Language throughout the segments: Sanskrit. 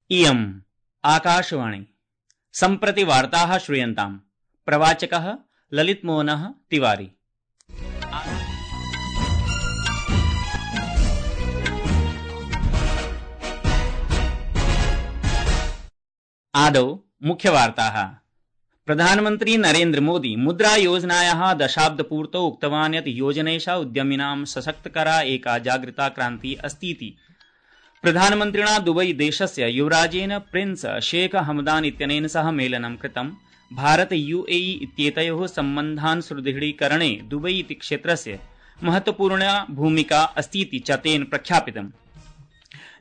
इयम् आकाशवाणी सम्प्रति वार्ताः श्रूयन्ताम्। प्रवाचकः ललितमोहनः तिवारी। आदौ मुख्यवार्ताः। प्रधानमन्त्री नरेन्द्र मोदी मुद्रा योजनायाः दशाब्दपूर्तौ उक्तवान् यत् योजनेषा उद्यमिनां सशक्तकरा एका जागृता क्रान्ति अस्तीति। प्रधानमन्त्रिणा दुबई देशस्य युवराजेन प्रिंस शेख हमदान इत्यनेन सह मेलनं कृतं। भारत यूएई इत्येतयोः सम्बन्धान् सुदृढीकरणे दुबई इति क्षेत्रस्य महत्वपूर्णा भूमिका अस्तीति च तेन प्रख्यापितम्।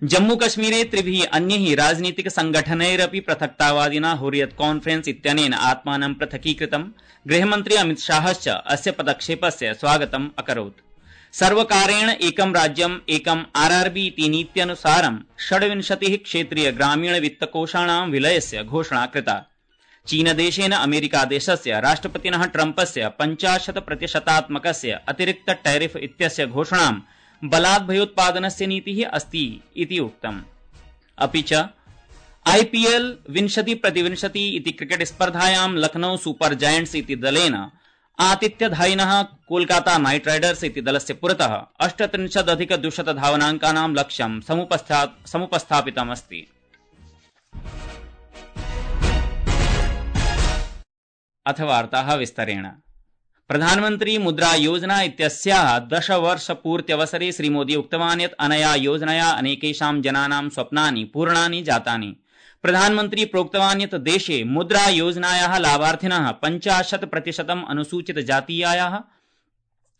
जम्मूकश्मीरे त्रिभिः अन्यैः राजनीतिक संगठनैरपि पृथक्तावादिना हुर्रियत कॉन्फ्रेंस इत्यनेन आत्मानं पृथकीकृतम्। गृहमन्त्री अमित शाहश्च अस्य पदक्षेपस्य स्वागतम् अकरोत्। सर्वकारेण एकं राज्यम् एकम् आरआरबी इति नीत्यनुसारं 26 क्षेत्रीय ग्रामीण वित्तकोषाणां विलयस्य घोषणा कृता। चीनदेशेन अमेरिकादेशस्य राष्ट्रपतिनः ट्रम्पस्य 50% अतिरिक्त टैरिफ इत्यस्य घोषणां बलात् भयोत्पादनस्य नीतिः अस्ति इति उक्तम्। अपि च आईपीएल 20-20 इति क्रिकेट स्पर्धायां लखनऊ सुपर जायंट्स इति दलेन आतिथ्यधायिनः कोलकाता नाइट राइडर्स इति दलस्य पुरतः 38+200 धावनाङ्कानां लक्ष्यं समुपस्थापितमस्ति। अथ वार्ताः विस्तरेण। प्रधानमन्त्री मुद्रा योजना इत्यस्याः 10 वर्षपूर्त्यवसरे श्रीमोदी उक्तवान् यत् अनया योजनया अनेकेषां जनानां स्वप्नानि पूर्णानि जातानि। प्रधानमन्त्री प्रोक्तवान् यत् देशे मुद्रा योजनायाः लाभार्थिनः 50% अनुसूचित जातीयाः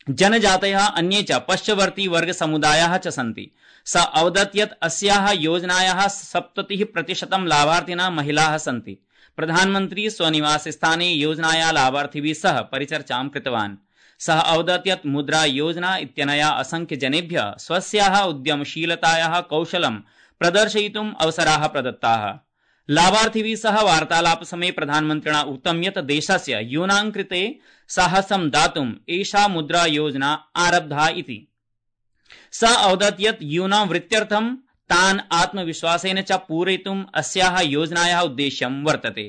जनजातयः अन्ये च पश्चवर्ती वर्ग समुदायाः च सन्ति। स अवदत् यत् अस्याः योजनायाः 70% लाभार्थिनः महिलाः सन्ति। प्रधानमन्त्री स्वनिवास स्थाने योजनाया लाभार्थिभिः सह परिचर्चां कृतवान्। सः अवदत् यत् मुद्रा योजना इत्यनया असंख्य जनेभ्यः स्वस्याः उद्यमशीलतायाः कौशलं प्रदर्शयितुम् अवसराः प्रदत्ताः। लाभार्थिभिः सह वार्तालापसमये प्रधानमन्त्रिणा उक्तं यत् देशस्य यूनां कृते साहसं दातुम् एषा मुद्रा योजना आरब्धा इति। सः अवदत् यत् यूनां वृत्त्यर्थं तान् आत्मविश्वासेन च पूरयितुम् अस्याः योजनायाः उद्देश्यं वर्तते।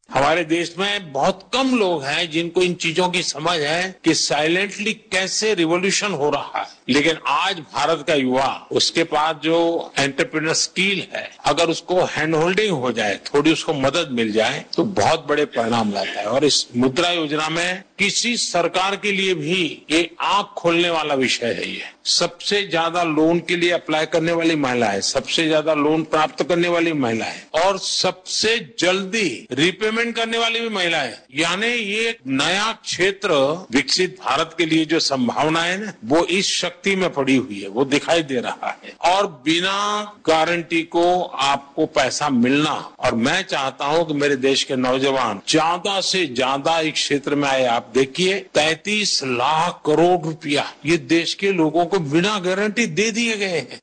हमारे देश में बहुत कम लोग हैं जिनको इन चीजों की समझ है कि साइलेंटली कैसे रिवॉल्यूशन हो रहा है, लेकिन आज भारत का युवा, उसके पास जो एंटरप्रेन्योर स्किल है, अगर उसको हैंड होल्डिंग हो जाए, थोड़ी उसको मदद मिल जाए तो बहुत बड़े परिणाम लाता है। और इस मुद्रा योजना में किसी सरकार के लिए भी ये आंख खोलने वाला विषय है। ये सबसे ज्यादा लोन के लिए अप्लाई करने वाली महिला है, सबसे ज्यादा लोन प्राप्त करने वाली महिला है और सबसे जल्दी रिपेमेंट करने वाली भी महिला है। यानी ये नया क्षेत्र विकसित भारत के लिए जो संभावना है ना, वो इस शक्ति में पड़ी हुई है, वो दिखाई दे रहा है। और बिना गारंटी को आपको पैसा मिलना, और मैं चाहता हूं कि मेरे देश के नौजवान ज्यादा से ज्यादा इस क्षेत्र में आए। आप देखिए 33 लाख करोड़ रुपया ये देश के लोगों को बिना गारंटी दे दिए गए हैं।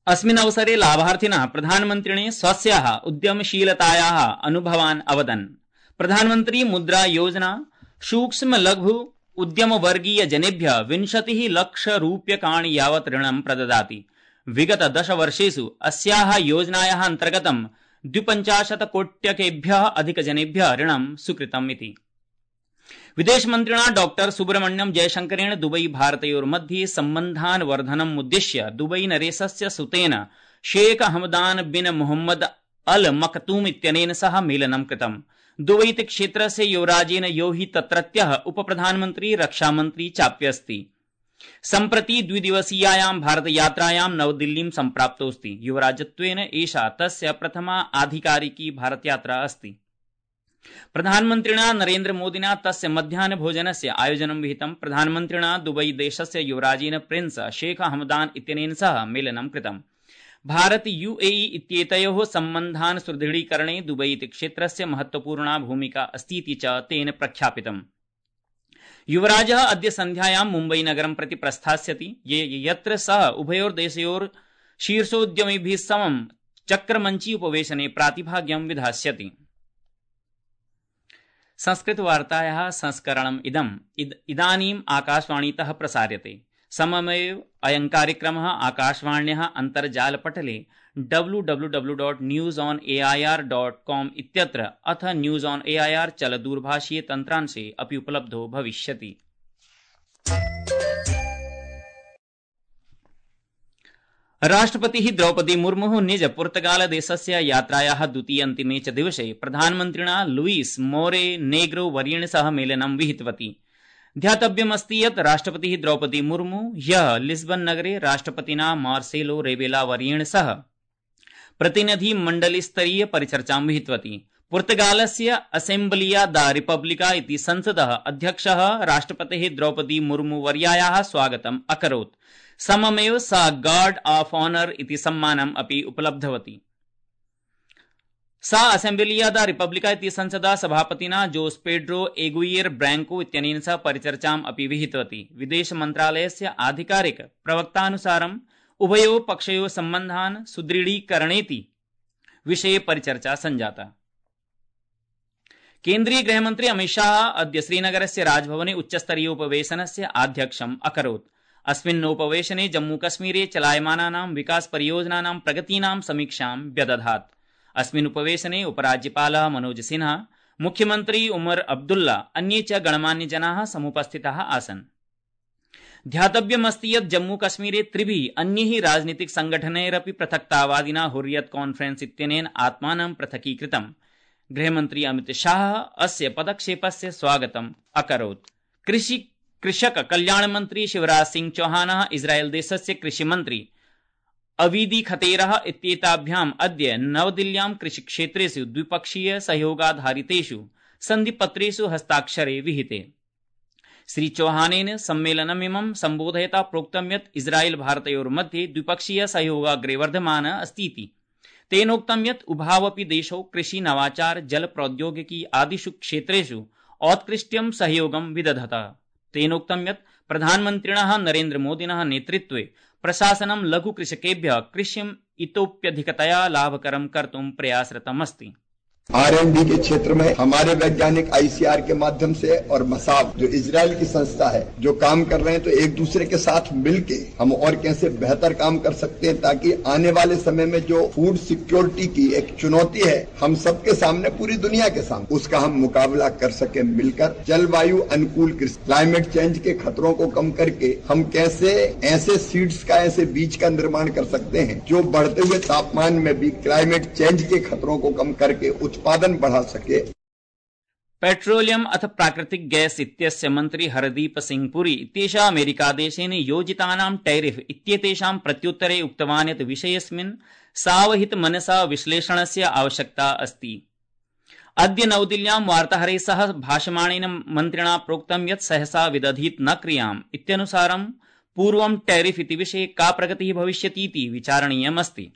अस्मिन् अवसरे लाभार्थिनः प्रधानमन्त्रिणे स्वस्याः उद्यमशीलतायाः अनुभवान् अवदन्। प्रधानमन्त्री मुद्रा योजना सूक्ष्म लघु उद्यम वर्गीय जनेभ्यः 20 लाख रूप्यकाणि यावत् ऋणं प्रददाति। विगत 10 वर्षेषु अस्याः योजनायाः अन्तर्गतं 52 कोट्यकेभ्यः अधिकजनेभ्यः ऋणं स्वीकृतम् इति। विदेशमन्त्रिणा डॉ सुब्रह्मण्यम जयशंकरेण दुबई भारतयोर्मध्ये सम्बन्धान् वर्धनम् उद्दिश्य दुबई नरेशस्य सुतेन शेख हमदान बिन मोहम्मद अल मखतूम इत्यनेन सह मेलनं कृतम्। दुबई क्षेत्रस्य युवराजेन यो हि तत्रत्यः उपप्रधानमन्त्री रक्षामन्त्री चाप्यस्ति। सम्प्रति द्विदिवसीयायां भारतयात्रायां नवदिल्लीं सम्प्राप्तोऽस्ति। युवराजत्वेन एषा तस्य प्रथमा आधिकारिकी भारतयात्रा अस्ति। प्रधानमन्त्रिणा नरेन्द्र मोदिना तस्य मध्याह्न भोजनस्य आयोजनं विहितम्। प्रधानमन्त्रिणा दुबई देशस्य युवराजेन प्रिंस शेख हमदान इत्यनेन सह मेलनं कृतम्। भारत यूएई इत्येतयोः सम्बन्धान् सुदृढीकरणे दुबई इति क्षेत्रस्य महत्वपूर्णा भूमिका अस्तीति च तेन प्रख्यापितम्। युवराजः अद्य सन्ध्यायां मुम्बई नगरं प्रति प्रस्थास्यति, यत्र सः उभयोर्देशयोः शीर्षोद्यमिभिः समं चक्रमञ्ची उपवेशने प्रातिभाग्यं विधास्यति। संस्कृतवार्तायाः संस्करणम् इदानीम् आकाशवाणीतः प्रसार्यते। सममेव अयं कार्यक्रमः आकाशवाण्याः अन्तर्जालपटले www.newsonair.com इत्यत्र अथ न्यूज ऑन एआईआर चलदूरभाषीय तन्त्रांशे अपि उपलब्धो भविष्यति। राष्ट्रपतिः द्रौपदी मुर्मुः निज पुर्तगाल देशस्य यात्रायाः द्वितीयान्तिमे च दिवसे प्रधानमन्त्रिणा लुईस मोरे नेग्रो वर्येण सह मेलनं विहितवती। ध्यातव्यमस्ति यत् राष्ट्रपतिः द्रौपदी मुर्मु ह्यः लिस्बन नगरे राष्ट्रपतिना मार्सेलो रेबेला वर्येण सह प्रतिनिधिमण्डलीस्तरीय परिचर्चां विहितवती। पुर्तगालस्य असेम्बलिया दा रिपब्लिका इति संसदः अध्यक्षः राष्ट्रपतेः द्रौपदी मुर्मु वर्यायाः स्वागतम् अकरोत्। सममेव सा गार्ड ऑफ ऑनर इति सम्मानम् अपि उपलब्धवती। सा असेम्बलिया दा रिपब्लिका इति संसदा सभापतिना जोस पेड्रो एगुइयर ब्रैंको इत्यनेन सह परिचर्चाम् अपि विहितवती। विदेश मन्त्रालयस्य आधिकारिक प्रवक्तानुसारम् उभयोः पक्षयोः सम्बन्धान् सुदृढीकरणेति विषये परिचर्चा सञ्जाता। केन्द्रीय गृहमन्त्री अमित शाह अद्य श्रीनगरस्य राजभवने उच्चस्तरीयोपवेशनस्य आध्यक्षम् अकरोत्। अस्मिन्नोपवेशने जम्मूकश्मीरे चलायमानानां विकास परियोजनानां प्रगतीनां समीक्षां व्यदधात्। अस्मिन् उपवेशने उपराज्यपालः मनोज सिन्हा, मुख्यमन्त्री उमर अब्दुल्ला, अन्ये च गणमान्यजनाः समुपस्थिताः आसन्। ध्यातव्यमस्ति यत् जम्मूकश्मीरे त्रिभिः अन्यैः राजनीतिक संघटनैरपि पृथक्तावादिना हुर्रियत कॉन्फ्रेंस इत्यनेन आत्मानं पृथकीकृतम्। गृहमन्त्री अमित शाह अस्य पदक्षेपस्य स्वागतम् अकरोत्। कृषक कल्याण मंत्री शिवराज सिंह चौहानः इस्राएल देशस्य कृषिमन्त्री अवीदी खतेरः इत्येताभ्याम् अद्य नवदिल्ल्यां कृषिक्षेत्रेषु द्विपक्षीय सहयोगाधारितेषु सन्धिपत्रेषु हस्ताक्षरे विहिते। श्री चौहानेन सम्मेलनमिमं सम्बोधयता प्रोक्तं यत् इस्राएल भारतयोर्मध्ये द्विपक्षीय सहयोगाग्रे वर्धमानः अस्तीति। तेनोक्तं यत् उभावपि देशौ कृषि नवाचार जल प्रौद्योगिकी आदिषु क्षेत्रेषु औत्कृष्ट्यं सहयोगं विदधत। तेनोक्तं यत् प्रधानमन्त्रिणः नरेन्द्र मोदिनः नेतृत्वे प्रशासनं लघु कृषकेभ्यः कृषिम् इतोप्यधिकतया लाभकरं कर्तुं प्रयासरतमस्ति। R&D के क्षेत्र में हमारे वैज्ञानिक ICR के माध्यम से और मसाब जो इजराइल की संस्था है जो काम कर रहे हैं, तो एक दूसरे के साथ मिलके हम और कैसे बेहतर काम कर सकते हैं ताकि आने वाले समय में जो फूड सिक्योरिटी की एक चुनौती है हम सबके सामने, पूरी दुनिया के सामने, उसका हम मुकाबला कर सके मिलकर। जलवायु अनुकूल कृषि, क्लाइमेट चेंज के खतरों को कम करके हम कैसे ऐसे सीड्स का, ऐसे बीज का निर्माण कर सकते हैं जो बढ़ते हुए तापमान में भी क्लाइमेट चेंज के खतरों को कम करके उत्पादन बढ़ा सके। पेट्रोलियम अथ प्राकृतिक गैस इत्यस्य मन्त्री हरदीप सिंह पुरी इत्येषः अमेरिकादेशेन योजितानां टैरिफ इत्येतेषां प्रत्युत्तरे उक्तवान् यत् विषयेऽस्मिन् सावहितमनसा विश्लेषणस्य आवश्यकता अस्ति। अद्य नवदिल्ल्यां वार्ताहरैः सह भाषमाणेन मन्त्रिणा प्रोक्तं यत् सहसा विदधीत न क्रियाम् इत्यनुसारं पूर्वं टैरिफ इति विषये का प्रगतिः भविष्यतीति विचारणीयमस्ति।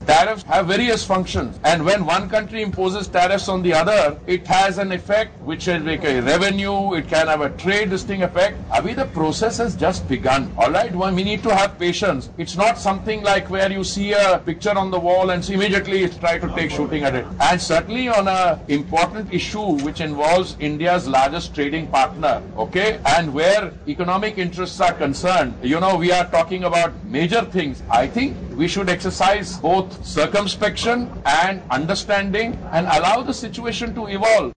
Tariffs have various functions, and when one country imposes tariffs on the other, it has an effect which is like a revenue, it can have a trade distinct effect. Abhi the process has just begun. Alright, we need to have patience. It's not something like where you see a picture on the wall and immediately try to take shooting at it. And certainly on a important issue which involves India's largest trading partner, okay, and where economic interests are concerned, we are talking about major things. I think we should exercise both circumspection and understanding and allow the situation to evolve.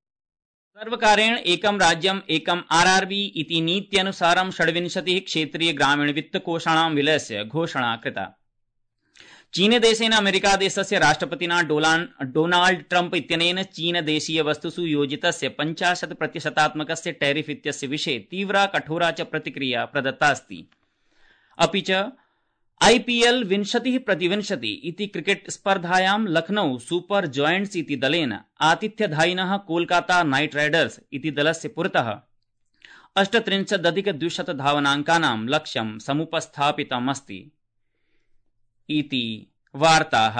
सर्वकारेण एकं राज्यम् एकं RRB इति नीत्यनुसारं 26 क्षेत्रीय ग्रामीण वित्तकोषाणां विलयस्य घोषणा कृता। चीनदेशेन अमेरिकादेशस्य राष्ट्रपतिना डोनाल्ड ट्रम्प इत्यनेन चीनदेशीय वस्तुषु योजितस्य 50% टैरिफ इत्यस्य विषये तीव्रा कठोरा च प्रतिक्रिया प्रदत्ता अस्ति। अपि च IPL 20-20 इति क्रिकेट स्पर्धायां लखनऊ सुपर जॉयंट्स इति दलेन आतिथ्यधायिनः कोलकाता नाइट राइडर्स इति दलस्य पुरतः 38,200 धावनाङ्कानां लक्ष्यं समुपस्थापितमस्ति इति वार्ताः।